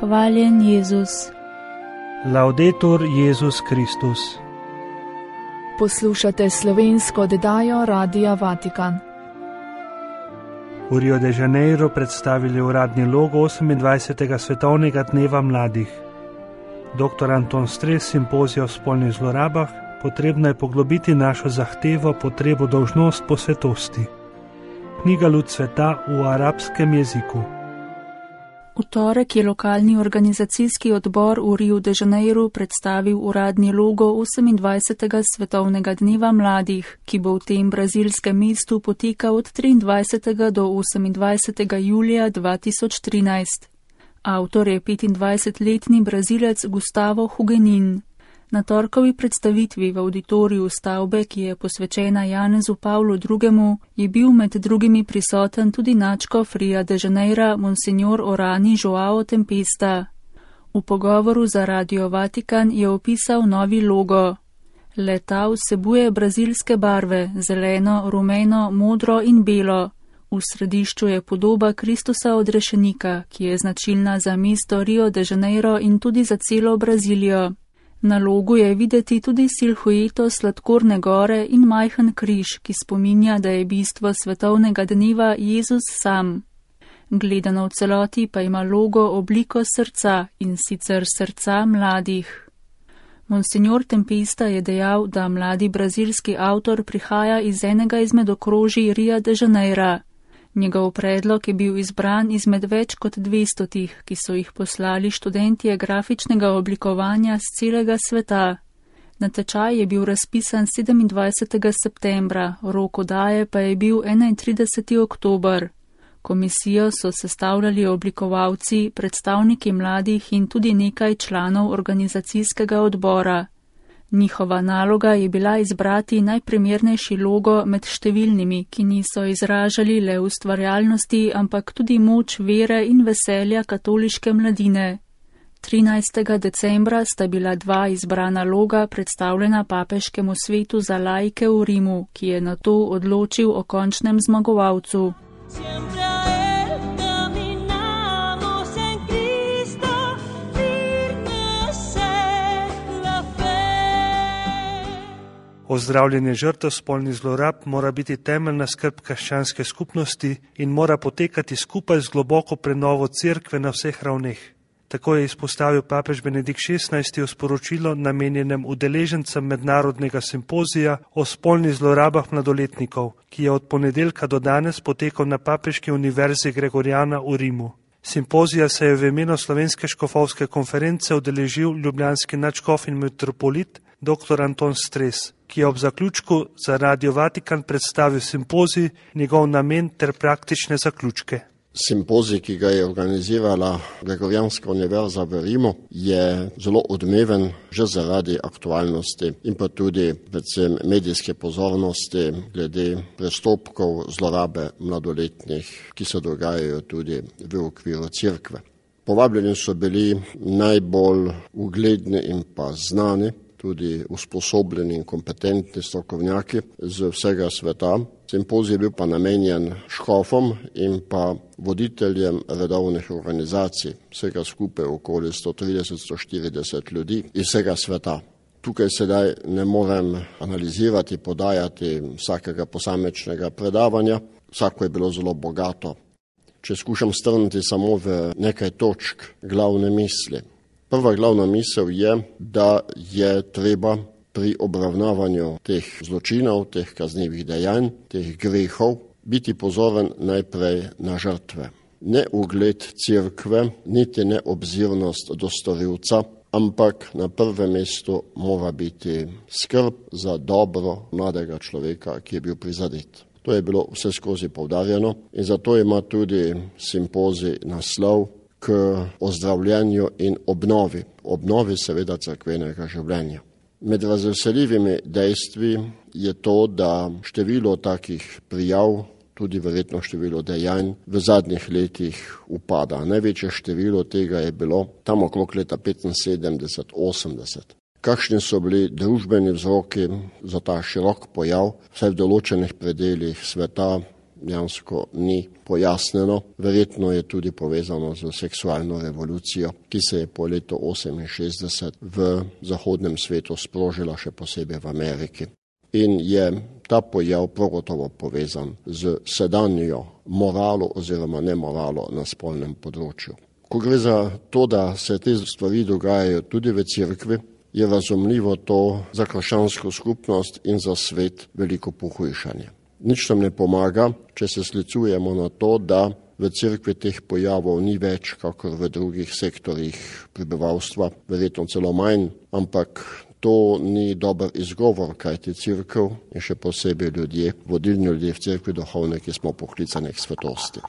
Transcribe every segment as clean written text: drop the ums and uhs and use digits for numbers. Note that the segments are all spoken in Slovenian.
Hvaljen Jezus. Laudetur Jezus Kristus. Poslušate slovensko oddajo Radia Vatikan. V Rio de Janeiro predstavili uradni logo 28. svetovnega dneva mladih. Dr. Anton Stres, simpozija o spolnih zlorabah, potrebno je poglobiti našo zahtevo, potrebo, dolžnost po svetosti. Knjiga Luč sveta v arabskem jeziku. V torek je lokalni organizacijski odbor v Rio de Janeiro predstavil uradni logo 28. svetovnega dneva mladih, ki bo v tem brazilskem mestu potekal od 23. do 28. julija 2013. Avtor je 25-letni Brazilec Gustavo Hugenin. Na torkovi predstavitvi v auditoriju stavbe, ki je posvečena Janezu Pavlu II., je bil med drugimi prisoten tudi nadškof Ria de Janeira Monsignor Orani Joao Tempesta. V pogovoru za Radio Vatikan je opisal novi logo. Le-ta vsebuje brazilske barve, zeleno, rumeno, modro in belo. V središču je podoba Kristusa odrešenika, ki je značilna za mesto Rio de Janeiro in tudi za celo Brazilijo. Na logu je videti tudi silhueto sladkorne gore in majhen križ, ki spominja, da je bistvo svetovnega dneva Jezus sam. Gledano v celoti pa ima logo obliko srca, in sicer srca mladih. Monsignor Tempesta je dejal, da mladi brazilski avtor prihaja iz enega izmed okrožij Ria de Janeira. Njegov predlog je bil izbran izmed več kot 200, ki so jih poslali študentje grafičnega oblikovanja z celega sveta. Natečaj je bil razpisan 27. septembra, rok oddaje pa je bil 31. oktober. Komisijo so sestavljali oblikovalci, predstavniki mladih in tudi nekaj članov organizacijskega odbora. Njihova naloga je bila izbrati najprimernejši logo med številnimi, ki niso izražali le ustvarjalnosti, ampak tudi moč vere in veselja katoliške mladine. 13. decembra sta bila dva izbrana loga predstavljena papeškemu svetu za laike v Rimu, ki je nato odločil o končnem zmagovalcu. Ozdravljanje žrtev spolnih zlorab mora biti temeljna skrb krščanske skupnosti in mora potekati skupaj z globoko prenovo cerkve na vseh ravneh. Tako je izpostavil papež Benedikt XVI v sporočilu namenjenem udeležencem mednarodnega simpozija o spolnih zlorabah mladoletnikov, ki je od ponedeljka do danes potekal na Papeški univerzi Gregoriana v Rimu. Simpozija se je v imenu Slovenske škofovske konference udeležil ljubljanski nadškof in metropolit dr. Anton Stres, ki je ob zaključku za Radio Vatikan predstavil simpozij, njegov namen ter praktične zaključke. Simpozij, ki ga je organizirala Gregorijanska univerza v Rimu, je zelo odmeven že zaradi aktualnosti in pa tudi predvsem medijske pozornosti glede prestopkov zlorabe mladoletnih, ki se dogajajo tudi v okviru cerkve. Povabljeni so bili najbolj ugledni in pa znani, tudi usposobljeni in kompetentni strokovnjaki z vsega sveta. Simpozij je bil pa namenjen škofom in pa voditeljem redovnih organizacij, vsega skupaj okoli 130-140 ljudi iz vsega sveta. Tukaj sedaj ne morem analizirati, podajati vsakega posamečnega predavanja, vsako je bilo zelo bogato. Če skušam strniti samo v nekaj točk glavne misli. Prva glavna misel je, da je treba pri obravnavanju teh zločinov, teh kaznivih dejanj, teh grehov, biti pozoren najprej na žrtve. Ne ugled cerkve, niti ne obzirnost do storilca, ampak na prvem mestu mora biti skrb za dobro mladega človeka, ki je bil prizadet. To je bilo vse skozi poudarjeno in zato ima tudi simpozij naslov k ozdravljanju in obnovi seveda cerkvenega življenja. Med razveseljivimi dejstvi je to, da število takih prijav, tudi verjetno število dejanj, v zadnjih letih upada. Največje število tega je bilo tam okrog leta 75-80. Kakšni so bili družbeni vzroki za ta širok pojav, vsaj v določenih predeljih sveta, dejansko ni pojasnjeno. Verjetno je tudi povezano z seksualno revolucijo, ki se je po letu 68 v zahodnem svetu sprožila, še posebej v Ameriki. In je ta pojav prav gotovo povezan z sedanjo moralo oziroma nemoralo na spolnem področju. Ko gre za to, da se te stvari dogajajo tudi v cerkvi, je razumljivo to za krščansko skupnost in za svet veliko pohujšanje. Nič nam ne pomaga, če se sklicujemo na to, da v cerkvi teh pojavov ni več, kakor v drugih sektorjih prebivalstva, verjetno celo manj, ampak to ni dober izgovor, kajti cerkev in še posebej ljudje, vodilni ljudje v cerkvi duhovniki smo poklicani k svetosti.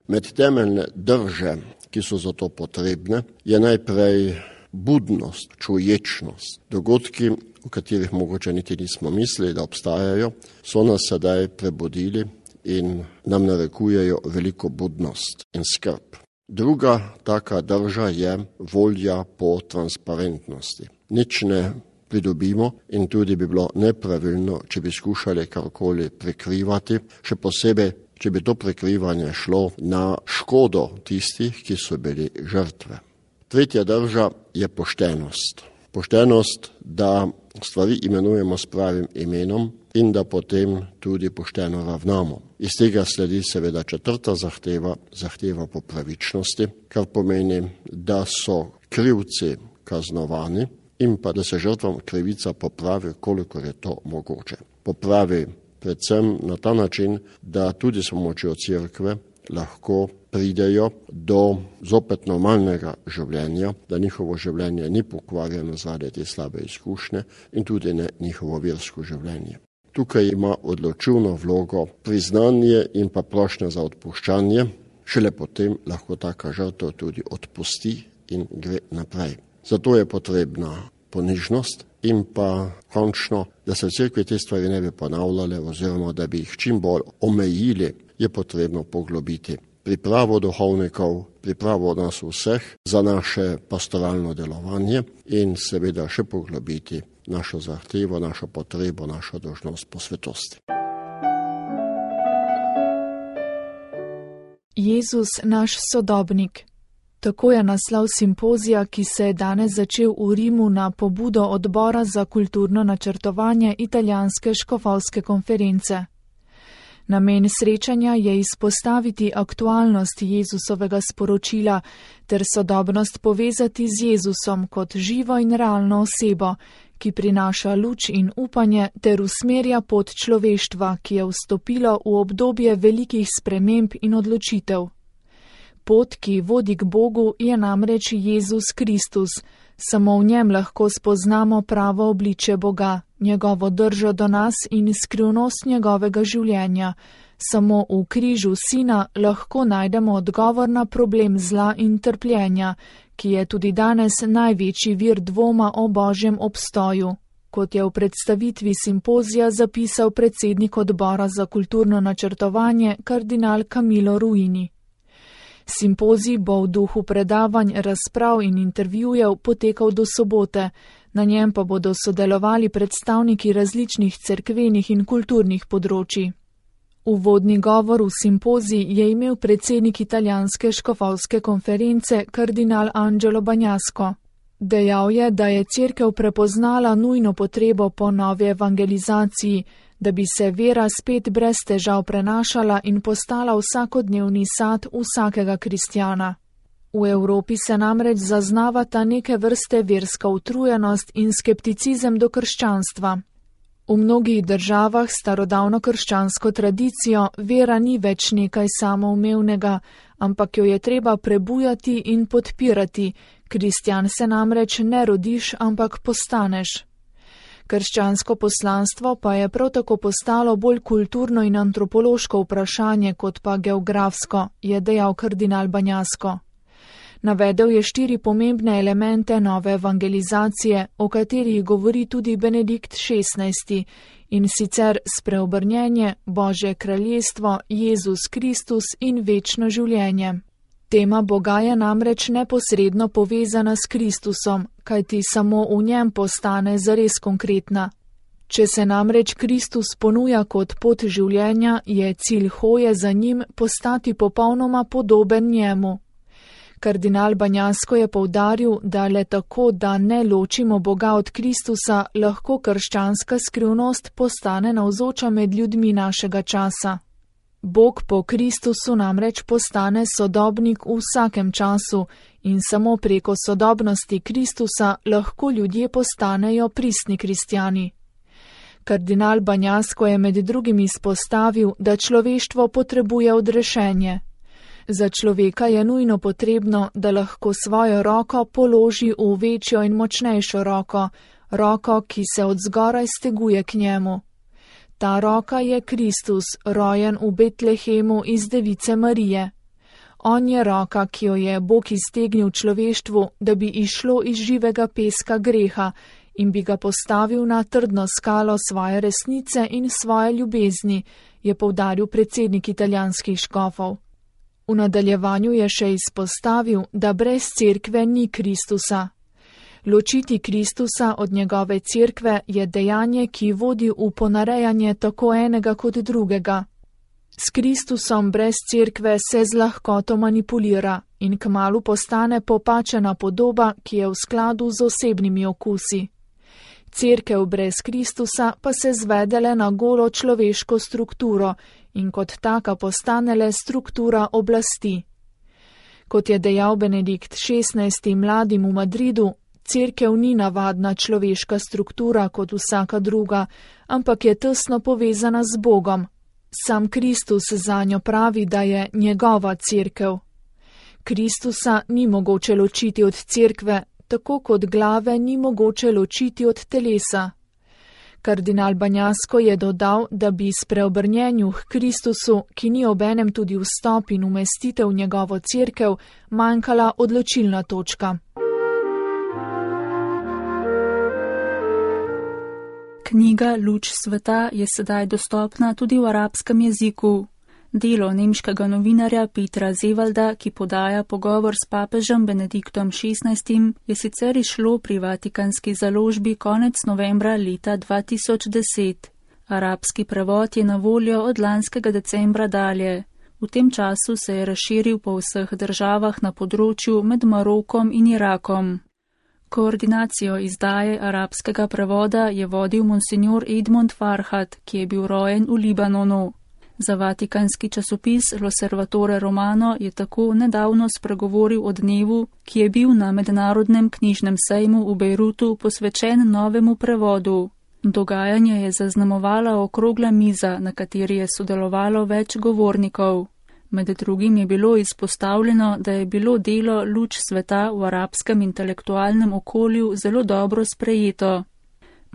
Med temeljne drže, ki so za to potrebne, je najprej budnost, čuječnost. Dogodki, o katerih mogoče niti nismo mislili, da obstajajo, so nas sedaj prebudili in nam narekujejo veliko budnost in skrb. Druga taka drža je volja po transparentnosti. Nič ne pridobimo in tudi bi bilo nepravilno, če bi skušali karkoli prekrivati, še posebej, če bi to prekrivanje šlo na škodo tistih, ki so bili žrtve. Tretja drža je poštenost. Poštenost, da stvari imenujemo s pravim imenom in da potem tudi pošteno ravnamo. Iz tega sledi seveda četrta zahteva po pravičnosti, kar pomeni, da so krivci kaznovani in pa da se žrtvam krivica popravi, koliko je to mogoče. Popravi predvsem na ta način, da tudi s pomočjo cerkve lahko pridejo do zopet normalnega življenja, da njihovo življenje ni pokvarjeno zaradi te slabe izkušnje in tudi ne njihovo versko življenje. Tukaj ima odločilno vlogo priznanje in pa prošnja za odpuščanje, šele potem lahko taka žrtev tudi odpusti in gre naprej. Zato je potrebna ponižnost in pa končno, da se v cerkvi te stvari ne bi ponavljale oziroma da bi jih čim bolj omejili, je potrebno poglobiti pripravo duhovnikov, pripravo nas vseh za naše pastoralno delovanje in seveda še poglobiti našo zahtevo, našo potrebo, našo dolžnost po svetosti. Jezus naš sodobnik. Tako je naslov simpozija, ki se je danes začel v Rimu na pobudo Odbora za kulturno načrtovanje Italijanske škofovske konference. Namen srečanja je izpostaviti aktualnost Jezusovega sporočila ter sodobnost povezati z Jezusom kot živo in realno osebo, ki prinaša luč in upanje ter usmerja pot človeštva, ki je vstopilo v obdobje velikih sprememb in odločitev. Pot, ki vodi k Bogu, je namreč Jezus Kristus. Samo v njem lahko spoznamo pravo obličje Boga, njegovo držo do nas in skrivnost njegovega življenja. Samo v križu Sina lahko najdemo odgovor na problem zla in trpljenja, ki je tudi danes največji vir dvoma o Božjem obstoju. Kot je v predstavitvi simpozija zapisal predsednik Odbora za kulturno načrtovanje kardinal Camillo Ruini. Simpozij bo v duhu predavanj, razprav in intervjujev potekal do sobote, na njem pa bodo sodelovali predstavniki različnih cerkvenih in kulturnih področij. Uvodni govor v simpozij je imel predsednik Italijanske škofovske konference kardinal Angelo Bagnasco. Dejal je, da je cerkev prepoznala nujno potrebo po novi evangelizaciji, da bi se vera spet brez težav prenašala in postala vsakodnevni sad vsakega kristjana. V Evropi se namreč zaznavata neke vrste verska utrujenost in skepticizem do krščanstva. V mnogih državah s starodavno krščansko tradicijo vera ni več nekaj samoumevnega, ampak jo je treba prebujati in podpirati. Kristjan se namreč ne rodiš, ampak postaneš. Krščansko poslanstvo pa je prav tako postalo bolj kulturno in antropološko vprašanje kot pa geografsko, je dejal kardinal Bagnasco. Navedel je 4 pomembne elemente nove evangelizacije, o katerih govori tudi Benedikt XVI, in sicer spreobrnjenje, Božje kraljestvo, Jezus Kristus in večno življenje. Tema Boga je namreč neposredno povezana s Kristusom, kajti samo v njem postane zares konkretna. Če se namreč Kristus ponuja kot pot življenja, je cilj hoje za njim postati popolnoma podoben njemu. Kardinal Banjasko je poudaril, da le tako, da ne ločimo Boga od Kristusa, lahko krščanska skrivnost postane navzoča med ljudmi našega časa. Bog po Kristusu namreč postane sodobnik v vsakem času in samo preko sodobnosti Kristusa lahko ljudje postanejo pristni kristjani. Kardinal Banjasko je med drugim izpostavil, da človeštvo potrebuje odrešenje. Za človeka je nujno potrebno, da lahko svojo roko položi v večjo in močnejšo roko, roko, ki se od zgoraj steguje k njemu. Ta roka je Kristus, rojen v Betlehemu iz Device Marije. On je roka, ki jo je Bog iztegnil človeštvu, da bi išlo iz živega peska greha in bi ga postavil na trdno skalo svoje resnice in svoje ljubezni, je poudaril predsednik italijanskih škofov. V nadaljevanju je še izpostavil, da brez cerkve ni Kristusa. Ločiti Kristusa od njegove cerkve je dejanje, ki vodi v ponarejanje tako enega kot drugega. S Kristusom brez cerkve se z lahkoto manipulira in kmalu postane popačena podoba, ki je v skladu z osebnimi okusi. Cerkev brez Kristusa pa se zvede le na golo človeško strukturo in kot taka postane le struktura oblasti. Kot je dejal Benedikt XVI. Mladim v Madridu, cerkev ni navadna človeška struktura kot vsaka druga, ampak je tesno povezana z Bogom. Sam Kristus zanjo pravi, da je njegova cerkev. Kristusa ni mogoče ločiti od cerkve, tako kot glave ni mogoče ločiti od telesa. Kardinal Banjasko je dodal, da bi spreobrnjenju k Kristusu, ki ni obenem tudi vstop in umestitev v njegovo cerkev, manjkala odločilna točka. Knjiga Luč sveta je sedaj dostopna tudi v arabskem jeziku. Delo nemškega novinarja Petra Zevalda, ki podaja pogovor s papežem Benediktom XVI, je sicer izšlo pri vatikanski založbi konec novembra leta 2010. Arabski prevod je na voljo od lanskega decembra dalje. V tem času se je razširil po vseh državah na področju med Marokom in Irakom. Koordinacijo izdaje arabskega prevoda je vodil monsignor Edmond Farhat, ki je bil rojen v Libanonu. Za vatikanski časopis L'Osservatore Romano je tako nedavno spregovoril o dnevu, ki je bil na mednarodnem knjižnem sejmu v Bejrutu posvečen novemu prevodu. Dogajanje je zaznamovala okrogla miza, na kateri je sodelovalo več govornikov. Med drugim je bilo izpostavljeno, da je bilo delo Luč sveta v arabskem intelektualnem okolju zelo dobro sprejeto.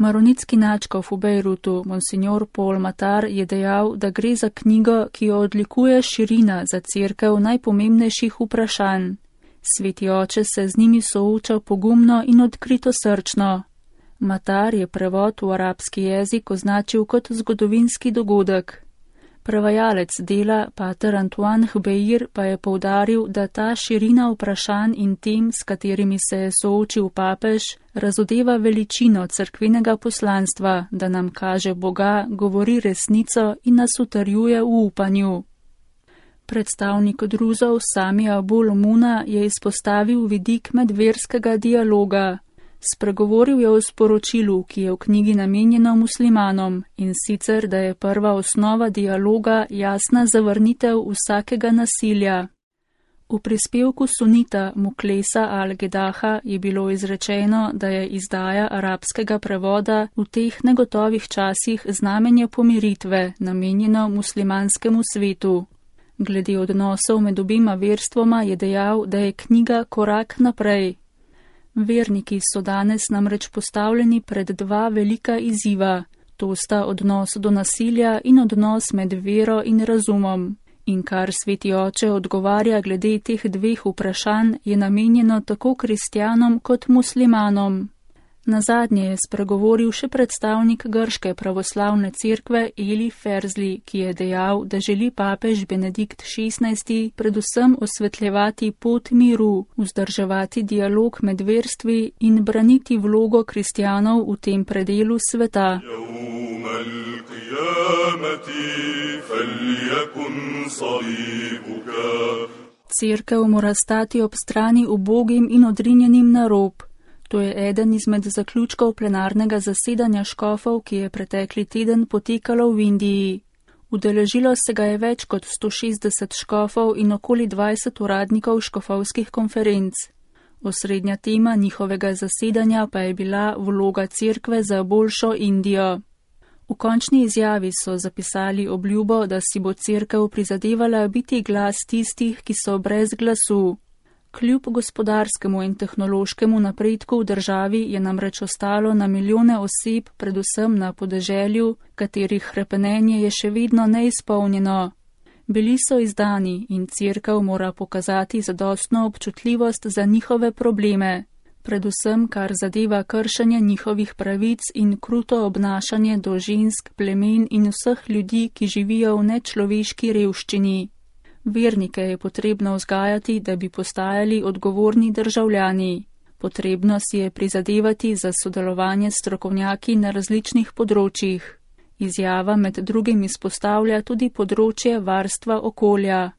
Maronitski nadškof v Bejrutu, monsignor Paul Matar, je dejal, da gre za knjigo, ki jo odlikuje širina za cerkev najpomembnejših vprašanj. Sveti oče se z njimi sooča pogumno in odkrito srčno. Matar je prevod v arabski jezik označil kot zgodovinski dogodek. Prevajalec dela, pater Antoine Hbeir, pa je poudaril, da ta širina vprašanj in tem, s katerimi se je soočil papež, razodeva veličino cerkvenega poslanstva, da nam kaže Boga, govori resnico in nas utrjuje v upanju. Predstavnik druzov Sami Abul Muna je izpostavil vidik medverskega dialoga. Spregovoril je o sporočilu, ki je v knjigi namenjeno muslimanom, in sicer, da je prva osnova dialoga jasna zavrnitev vsakega nasilja. V prispevku sunita Muklesa al-Gedaha je bilo izrečeno, da je izdaja arabskega prevoda v teh negotovih časih znamenje pomiritve, namenjeno muslimanskemu svetu. Glede odnosov med obima verstvoma je dejal, da je knjiga korak naprej. Verniki so danes namreč postavljeni pred dva velika izziva, to sta odnos do nasilja in odnos med vero in razumom. In kar sveti oče odgovarja glede teh dveh vprašanj, je namenjeno tako kristjanom kot muslimanom. Nazadnje je spregovoril še predstavnik grške pravoslavne cerkve Eli Ferzli, ki je dejal, da želi papež Benedikt XVI predvsem osvetljevati pot miru, vzdrževati dialog med verstvi in braniti vlogo kristjanov v tem predelu sveta. Cerkev mora stati ob strani ubogim in odrinjenim na rob. To je eden izmed zaključkov plenarnega zasedanja škofov, ki je pretekli teden potekalo v Indiji. Udeležilo se ga je več kot 160 škofov in okoli 20 uradnikov škofovskih konferenc. Osrednja tema njihovega zasedanja pa je bila vloga cerkve za boljšo Indijo. V končni izjavi so zapisali obljubo, da si bo cerkev prizadevala biti glas tistih, ki so brez glasu. Kljub gospodarskemu in tehnološkemu napredku v državi je namreč ostalo na milijone oseb, predvsem na podeželju, katerih hrepenenje je še vedno neizpolnjeno. Bili so izdani in cerkev mora pokazati zadostno občutljivost za njihove probleme, predvsem kar zadeva kršenje njihovih pravic in kruto obnašanje do žensk, plemen in vseh ljudi, ki živijo v nečloveški revščini. Vernike je potrebno vzgajati, da bi postajali odgovorni državljani. Potrebno si je prizadevati za sodelovanje s strokovnjaki na različnih področjih. Izjava med drugim izpostavlja tudi področje varstva okolja.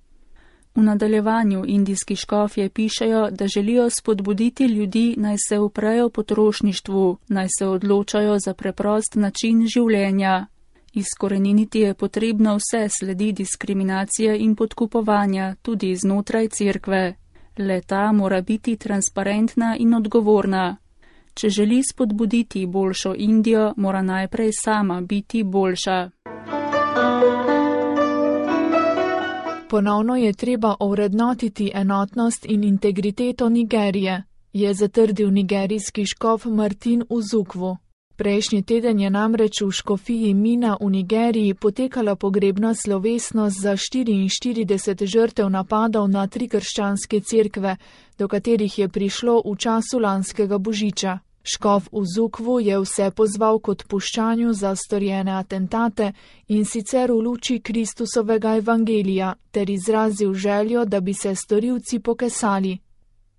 V nadaljevanju indijski škofje pišejo, da želijo spodbuditi ljudi, naj se uprejo potrošništvu, naj se odločajo za preprost način življenja. Izkoreniniti je potrebno vse sledi diskriminacije in podkupovanja, tudi znotraj cerkve. Le-ta mora biti transparentna in odgovorna. Če želi spodbuditi boljšo Indijo, mora najprej sama biti boljša. Ponovno je treba ovrednotiti enotnost in integriteto Nigerije, je zatrdil nigerijski škof Martin Uzukwu. Prejšnji teden je namreč v škofiji Mina v Nigeriji potekala pogrebna slovesnost za 44 žrtev napadov na 3 krščanske cerkve, do katerih je prišlo v času lanskega božiča. Škof Uzukwu je vse pozval k odpuščanju za storjene atentate in sicer v luči Kristusovega evangelija, ter izrazil željo, da bi se storilci pokesali.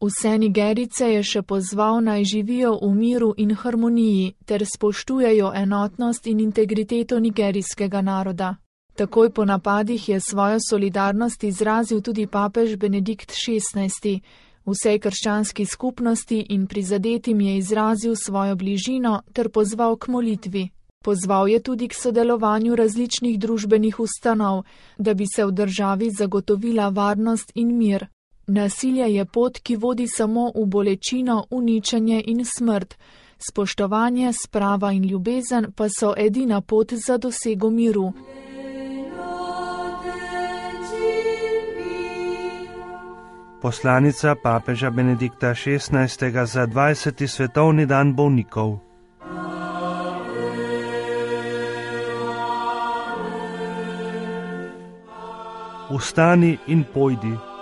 Vse Nigerice je še pozval, naj živijo v miru in harmoniji ter spoštujejo enotnost in integriteto nigerijskega naroda. Takoj po napadih je svojo solidarnost izrazil tudi papež Benedikt XVI. Vsej krščanski skupnosti in prizadetim je izrazil svojo bližino ter pozval k molitvi. Pozval je tudi k sodelovanju različnih družbenih ustanov, da bi se v državi zagotovila varnost in mir. Nasilje je pot, ki vodi samo v bolečino, uničenje in smrt. Spoštovanje, sprava in ljubezen pa so edina pot za dosego miru. Poslanica papeža Benedikta XVI. Za 20. svetovni dan bolnikov. Vstani in pojdi.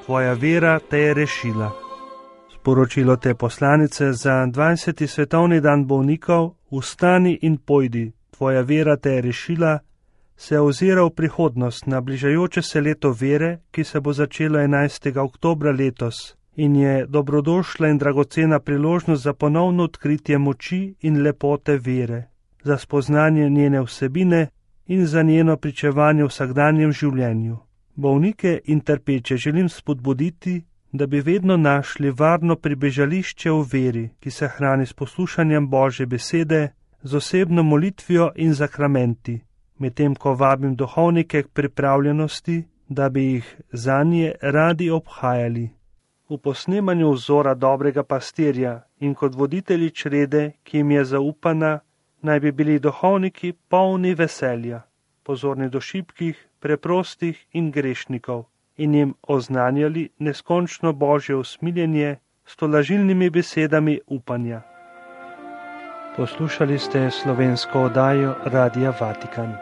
Tvoja vera te je rešila. Sporočilo te poslanice za 20. svetovni dan bolnikov, vstani in pojdi, tvoja vera te je rešila, se ozira v prihodnost na bližajoče se leto vere, ki se bo začelo 11. oktobra letos in je dobrodošla in dragocena priložnost za ponovno odkritje moči in lepote vere, za spoznanje njene vsebine in za njeno pričevanje v vsakdanjem življenju. Bolnike in trpeče želim spodbuditi, da bi vedno našli varno pribežališče v veri, ki se hrani s poslušanjem Božje besede, z osebno molitvijo in zakramenti, medtem ko vabim duhovnike k pripravljenosti, da bi jih zanje radi obhajali. V posnemanju vzora dobrega pastirja in kot voditelji črede, ki jim je zaupana, naj bi bili duhovniki polni veselja, pozorni do šibkih, preprostih in grešnikov in jim oznanjali neskončno Božje usmiljenje s tolažilnimi besedami upanja. Poslušali ste slovensko oddajo Radia Vatikan.